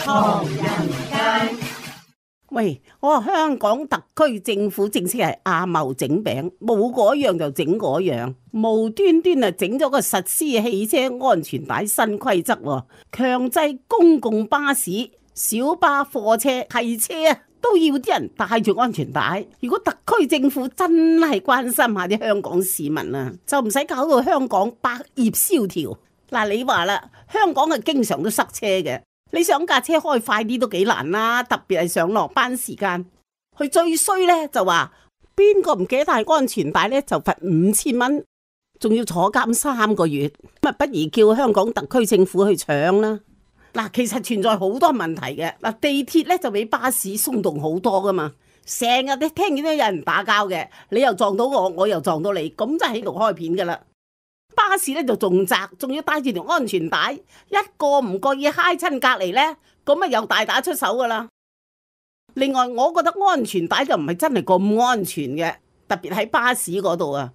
唐人街。喂，我話香港特區政府正式係阿茂整餅，冇嗰樣就整嗰樣，無端端啊整咗個實施汽車安全帶新規則，強制公共巴士、小巴、貨車、汽車啊都要啲人戴住安全帶。如果特區政府真係關心下啲香港市民啊，就唔使搞到香港百業蕭條。嗱，你話啦，香港係經常都塞車嘅。你想架車開快啲都幾難啦，特別係上落班時間。佢最衰呢就話邊個唔記得帶安全帶呢，就罰5000蚊，仲要坐監3個月。咁不如叫香港特區政府去搶啦。嗱，其實存在好多問題嘅。嗱，地鐵呢就比巴士鬆動好多噶嘛，成日你聽見都有人打交嘅，你又撞到我，我又撞到你，咁就喺度開片噶啦。巴士咧就仲窄，仲要帶住條安全帶，一個唔覺意揩親隔籬呢，咁啊又大打出手噶啦。另外，我覺得安全帶就唔係真係咁安全嘅，特別喺巴士嗰度啊，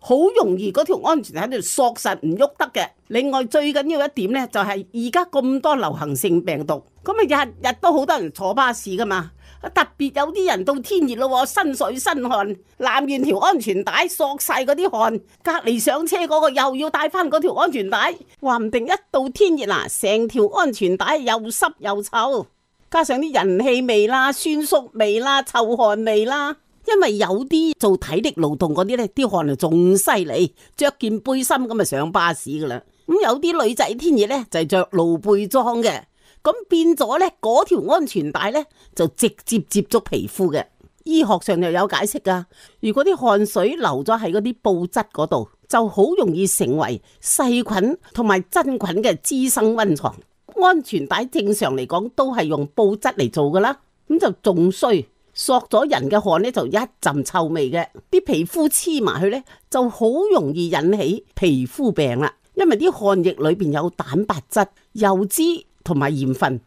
好容易嗰條安全帶喺度索實唔喐得嘅。另外最緊要一點呢，就係而家咁多流行性病毒，咁啊日日都好多人坐巴士噶嘛。特別有啲人到天熱咯，身水身汗，攬完條安全帶索晒嗰啲汗，隔籬上車嗰個又要帶翻嗰條安全帶，話唔定一到天熱啦，成條安全帶又濕又臭，加上啲人氣味啦、酸縮味啦、臭汗味啦。因為有啲做體力勞動嗰啲呢，啲汗就仲犀利，着件背心咁就上巴士噶啦。咁有啲女仔天熱呢，就係着露背裝嘅。咁變咗呢，嗰條安全帶呢，就直接接觸皮膚嘅。醫學上又有解釋噶。如果啲汗水流咗喺嗰啲布質嗰度，就好容易成為細菌同埋真菌嘅滋生溫床。安全帶正常嚟講都係用布質嚟做噶啦，咁就仲衰，索咗人嘅汗呢，就一陣臭味嘅，啲皮膚黐埋去呢，就好容易引起皮膚病啦。因為啲汗液裏邊有蛋白質、油脂同埋鹽分，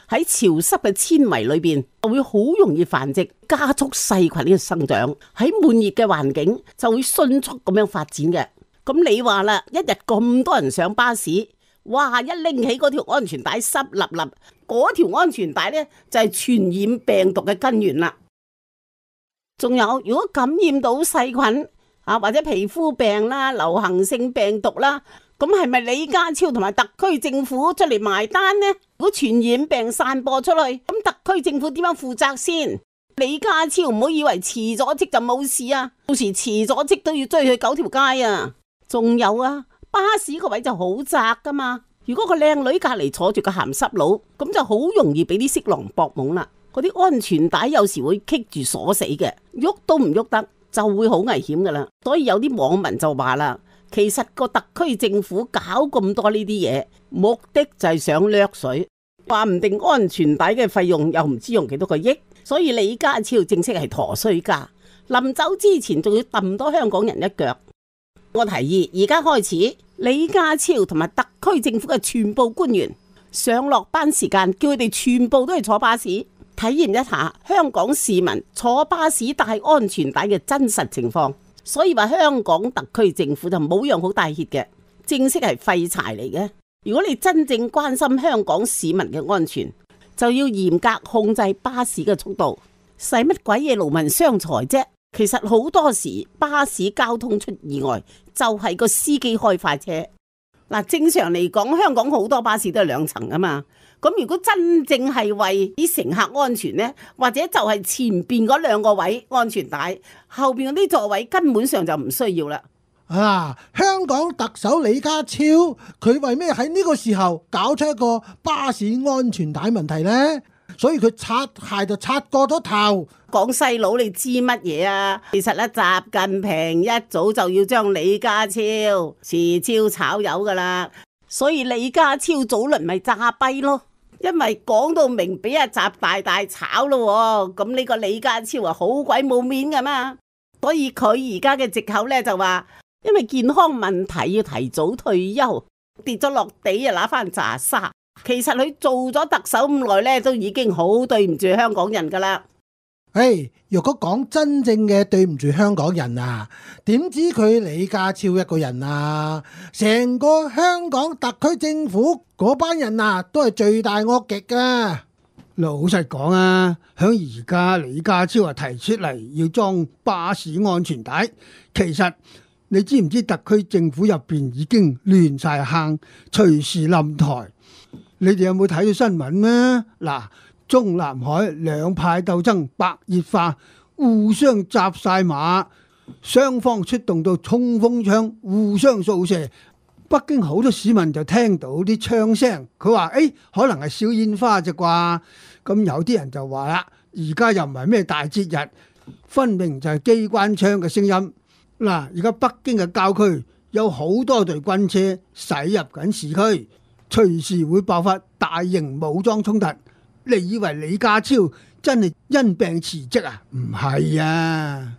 喺潮濕嘅纖維裏邊就會好容易繁殖，加速細菌嘅生長。喺悶熱嘅環境就會迅速咁樣發展嘅。咁你話啦，一日咁多人上巴士，哇！一拎起嗰條安全帶濕立立，嗰條安全帶呢，就係傳染病毒嘅根源啦。仲有，如果感染到細菌啊，或者皮膚病啦、流行性病毒啦，咁係咪李家超同埋特區政府出嚟埋單呢？如果傳染病散播出去，咁特區政府點樣負責先？李家超唔好以為辭咗職就冇事啊，到時辭咗職都要追去9條街啊！仲有啊，巴士個位就好窄噶嘛，如果個靚女隔籬坐住個鹹濕佬，咁就好容易俾啲色狼搏懵啦。嗰啲安全帶有時會棘住鎖死嘅，喐都唔喐得，就會好危險噶啦。所以有啲網民就話啦，其實個特區政府搞咁多呢啲嘢，目的就係想掠水，話唔定安全帶嘅費用又唔知用幾多個億。所以李家超正式係陀衰家，臨走之前仲要揼多香港人一腳。我提議而家開始，李家超同埋特區政府嘅全部官員上落班時間，叫佢哋全部都係坐巴士，體驗一下香港市民坐巴士戴安全帶嘅真實情況。所以話香港特區政府就冇樣好帶挈嘅，正式係廢柴嚟嘅。如果你真正關心香港市民嘅安全，就要嚴格控制巴士嘅速度，使乜鬼嘢勞民傷財啫？其實好多時巴士交通出意外，就係個司機開快車。嗱，正常嚟講，香港好多巴士都係2層啊嘛。咁如果真正係為啲乘客安全呢，或者就係前邊嗰2個位安全帶，後邊嗰啲座位根本上就唔需要啦。香港特首李家超，佢為咩喺呢個時候搞出一個巴士安全帶問題呢？所以佢擦鞋就擦過咗頭。講細佬你知乜嘢啊？其實咧，習近平一早就要將李家超辭招炒魷噶啦，所以李家超早輪咪詐跛咯。因為講到明俾阿習大大炒咯，咁呢個李家超啊好鬼冇面噶嘛，所以佢而家嘅藉口咧就話，因為健康問題要提早退休，跌咗落地啊拿翻炸沙。其實佢做咗特首咁耐咧，都已經好對唔住香港人噶啦。若果講真正嘅對唔住香港人啊，點知佢李家超一個人啊？成個香港特區政府嗰班人啊，都係罪大惡極噶。老實講啊，響而家李家超提出嚟要裝巴士安全帶，其實你知唔知特區政府入邊已經亂晒坑，隨時冧台。你哋有冇睇到新聞咩？嗱，中南海兩派鬥爭白熱化，互相紮晒馬，雙方出動到衝鋒槍，互相掃射。北京好多市民就聽到啲槍聲，佢話：可能係燒煙花啫啩。咁有啲人就話啦，而家又唔係咩大節日，分明就係機關槍嘅聲音。嗱，而家北京嘅郊區有好多隊軍車駛入緊市區，隨時會爆發大型武裝衝突。你以為李家超真係因病辭職啊？唔係啊，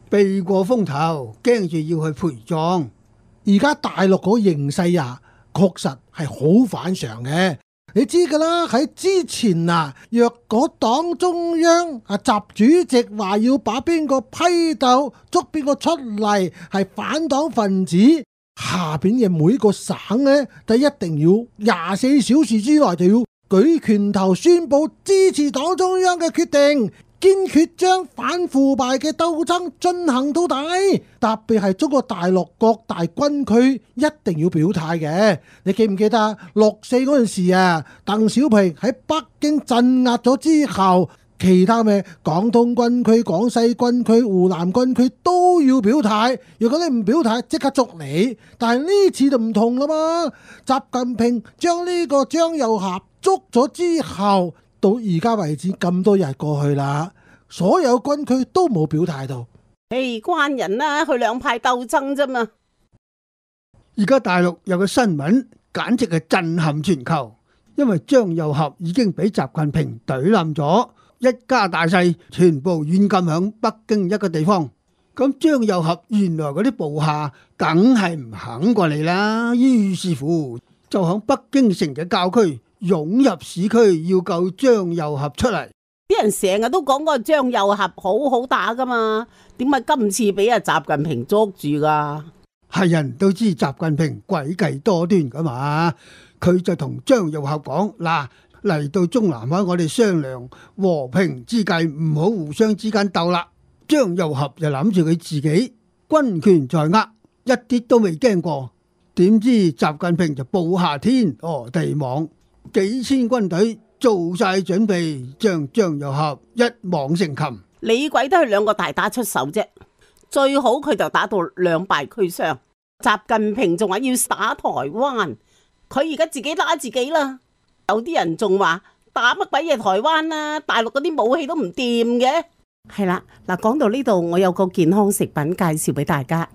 避過風頭，驚住要去陪葬。而家大陸嗰個形勢啊，確實係好反常嘅。你知噶啦，喺之前啊，若果黨中央習主席話要把邊個批鬥，捉邊個出嚟係反黨分子，下邊嘅每個省呢，就一定要24小時之內就要舉拳頭宣佈支持黨中央嘅決定，堅決將反腐敗嘅鬥爭進行到底。特別係中國大陸各大軍區一定要表態嘅。你記唔記得6.4嗰陣時啊，鄧小平喺北京鎮壓咗之後，其他咩廣東軍區、廣西軍區、湖南軍區都要表態。如果你唔表態，即刻捉你。但係呢次就唔同啦嘛，習近平將呢個張又俠捉咗之後，到而家為止咁多日過去啦，所有軍區都冇表態到。關人啦，佢兩派鬥爭啫嘛。而家大陸有個新聞，簡直係震撼全球，因為張又俠已經俾習近平懟冧咗，一家大細全部軟禁響北京一個地方。咁張又俠原來嗰啲部下梗係唔肯過嚟啦，於是乎就響北京城嘅郊區湧入市區，要救張又俠出嚟。啲人成日都講嗰個張又俠好好打噶嘛，點解今次俾阿習近平捉住噶？係人都知習近平詭計多端噶嘛，佢就同張又俠講：嗱，嚟到中南海我哋商量和平之計，唔好互相之間鬥啦。張又俠就諗住佢自己軍權在握，一啲都未驚過。點知習近平就布下天羅地網，幾千軍隊做晒準備，將張又俠一網成擒。李鬼都係兩個大打出手啫，最好佢就打到兩敗俱傷。習近平仲話要打台灣，佢而家自己打自己啦。有啲人仲話打乜鬼嘢台灣啊，大陸嗰啲武器都唔掂嘅。係啦，嗱，講到呢度，我有個健康食品介紹俾大家。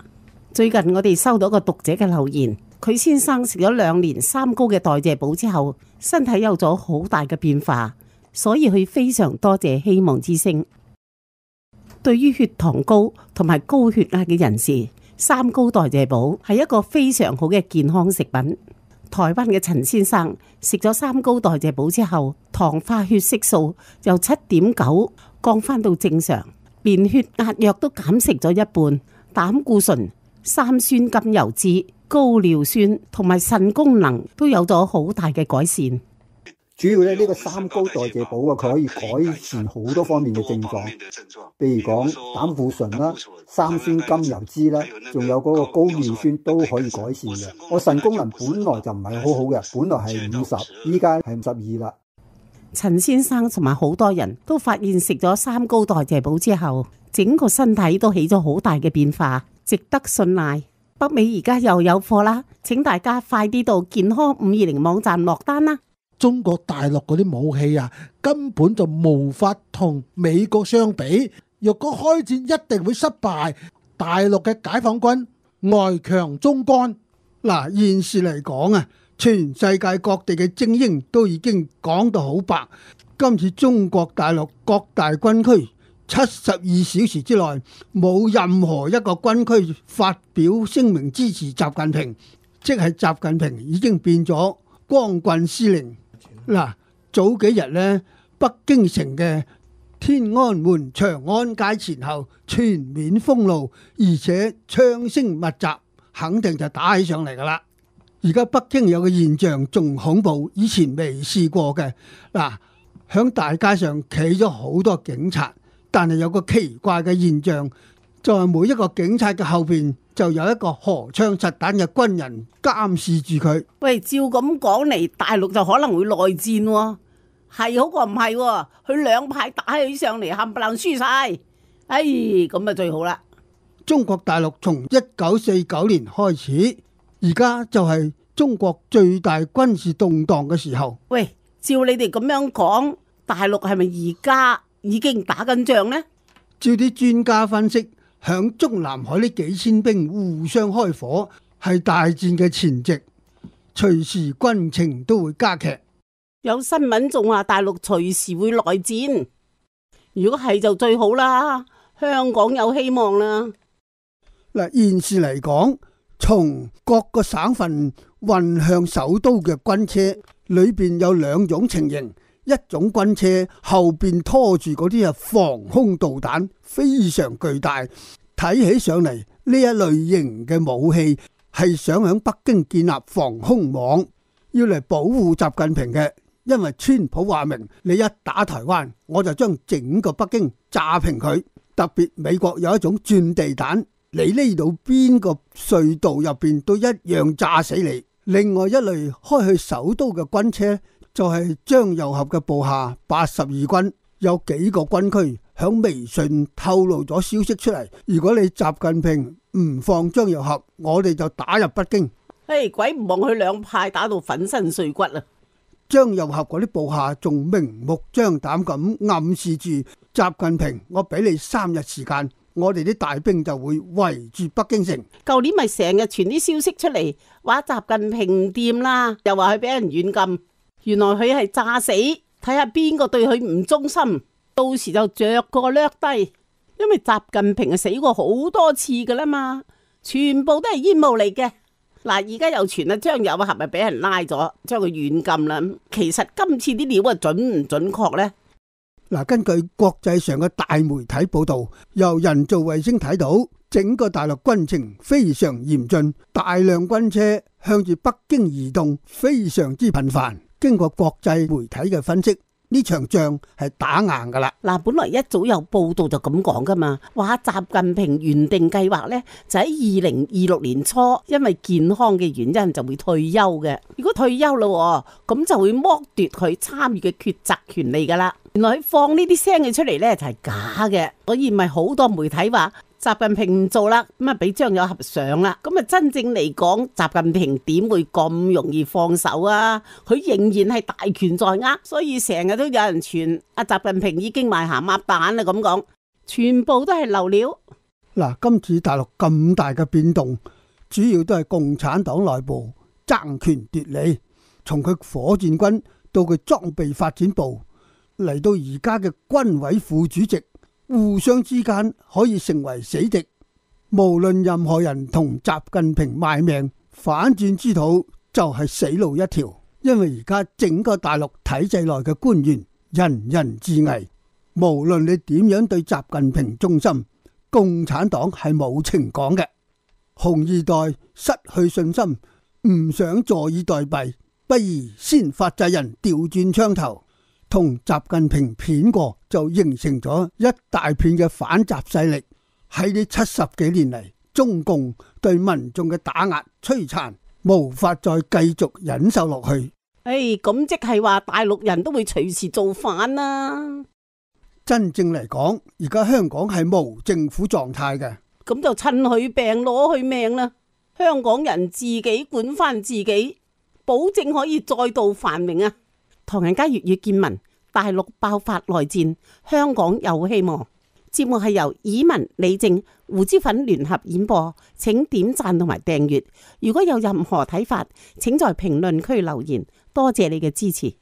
最近我哋收到個讀者嘅留言，佢先生食咗2年3高嘅代謝寶之後，身體有咗好大嘅變化，所以佢非常多謝希望之聲。對於血糖高同埋高血壓嘅人士，3高代謝寶係一個非常好嘅健康食品。台灣嘅陳先生食咗3高代謝寶之後，糖化血色素由7.9降翻到正常，連血壓藥都減食咗一半，膽固醇、三酸甘油酯、高尿酸同埋腎功能都有咗好大嘅改善。主要咧呢個3高代謝寶啊，佢可以改善好多方面嘅症狀，譬如講膽固醇啦、三酸甘油酯啦，仲有嗰個高尿酸都可以改善嘅。我腎功能本來就唔係好好嘅，本來係50，依家係52啦。陳先生同埋好多人都發現食咗3高代謝寶之後，整個身體都起咗好大嘅變化，值得信賴。北美而家又有貨啦，請大家快啲到健康520網站落單啦。中國大陸嗰啲武器啊，根本就無法同美國相比。若果開戰一定會失敗。大陸嘅解放軍外強中乾。嗱，現時嚟講啊，全世界各地嘅精英都已經講到好白。今次中國大陸各大軍區72小時之內冇任何一個軍區發表聲明支持習近平，即係習近平已經變咗光棍司令。嗱，早幾日呢，北京城嘅天安門、長安街前後全面封路，而且槍聲密集，肯定就打起上嚟噶啦。而家北京有個現象仲恐怖，以前未試過嘅。嗱，響大街上企咗好多警察，但係有個奇怪嘅現象，就係每一個警察嘅後邊就有一個荷槍實彈嘅軍人監視住佢。喂，照咁講嚟，大陸就可能會內戰喎，係好過唔係喎，佢兩派打起上嚟冚唪唥輸晒，哎，咁啊最好啦。中國大陸從1949年開始，而家就係中國最大軍事動盪嘅時候。喂，照你哋咁樣講，大陸係咪而家已經打緊仗呢？照啲專家分析，響中南海呢幾千兵互相開火，係大戰嘅前夕，隨時軍情都會加劇。有新聞仲話大陸隨時會內戰，如果係就最好啦，香港有希望啦。嗱，現時嚟講，從各個省份運向首都嘅軍車裏邊有兩種情形，一種軍車後邊拖住嗰啲防空導彈，非常巨大，睇起上嚟呢一類型嘅武器係想喺北京建立防空網，要嚟保護習近平嘅。因為川普話明，你一打台灣，我就將整個北京炸平佢。特別美國有一種鑽地彈，你呢度邊個隧道入邊都一樣炸死你。另外一類開去首都嘅軍車就係張又俠嘅部下82軍，有幾個軍區響微信透露咗消息出嚟，如果你習近平唔放張又俠，我哋就打入北京。嘿，鬼唔望佢兩派打到粉身碎骨啊！張又俠嗰啲部下仲明目張膽咁暗示住習近平，我俾你3日時間，我哋啲大兵就會圍住北京城。舊年咪成日傳啲消息出嚟，話習近平唔掂啦，又話佢俾人軟禁，原來佢係詐死，睇下邊個對佢唔忠心，到時就着個掠低。因為習近平係死過好多次噶啦嘛，全部都係煙霧嚟嘅。嗱，而家又傳啊張又俠咪俾人拉咗，將佢軟禁啦。其實今次啲料啊準唔準確呢？嗱，根據國際上嘅大媒體報道，由人造衛星睇到，整個大陸軍情非常嚴峻，大量軍車向住北京移動，非常之頻繁。經過國際媒體嘅分析，呢場仗係打硬噶啦。嗱，本來一早有報道就咁講噶嘛，話習近平原定計劃呢，就喺2026年初，因為健康嘅原因就會退休嘅。如果退休咯，咁就會剝奪佢參與嘅抉擇權利噶啦。原來佢放呢啲聲嘅出嚟呢，就係假嘅，所以咪好多媒體話習近平唔做啦，咁啊俾張又俠上啦。咁啊真正嚟講，習近平點會咁容易放手啊？佢仍然係大權在握，所以成日都有人傳阿習近平已經賣鹹鴨蛋啦咁講，全部都係流料。嗱，今次大陸咁大嘅變動，主要都係共產黨內部爭權奪利，從佢火箭軍到佢裝備發展部，嚟到而家嘅軍委副主席，互相之間可以成為死敵。無論任何人同習近平賣命，反轉之途就係死路一條。因為而家整個大陸體制內嘅官員人人自危，無論你點樣對習近平忠心，共產黨係冇情講嘅。紅二代失去信心，唔想坐以待斃，不如先發制人，調轉槍頭。同習近平片過，就形成咗一大片嘅反習勢力。喺呢70幾年嚟，中共對民眾嘅打壓摧殘，無法再繼續忍受落去。咁即係話大陸人都會隨時造反啦。真正嚟講，而家香港係無政府狀態嘅，咁就趁佢病攞佢命啦。香港人自己管翻自己，保證可以再度繁榮啊！唐人街粵語見聞，大陸爆發內戰，香港有希望。節目係由以文、李正、胡椒粉聯合演播，請點讚同埋訂閱。如果有任何睇法，請在評論區留言。多謝你嘅支持。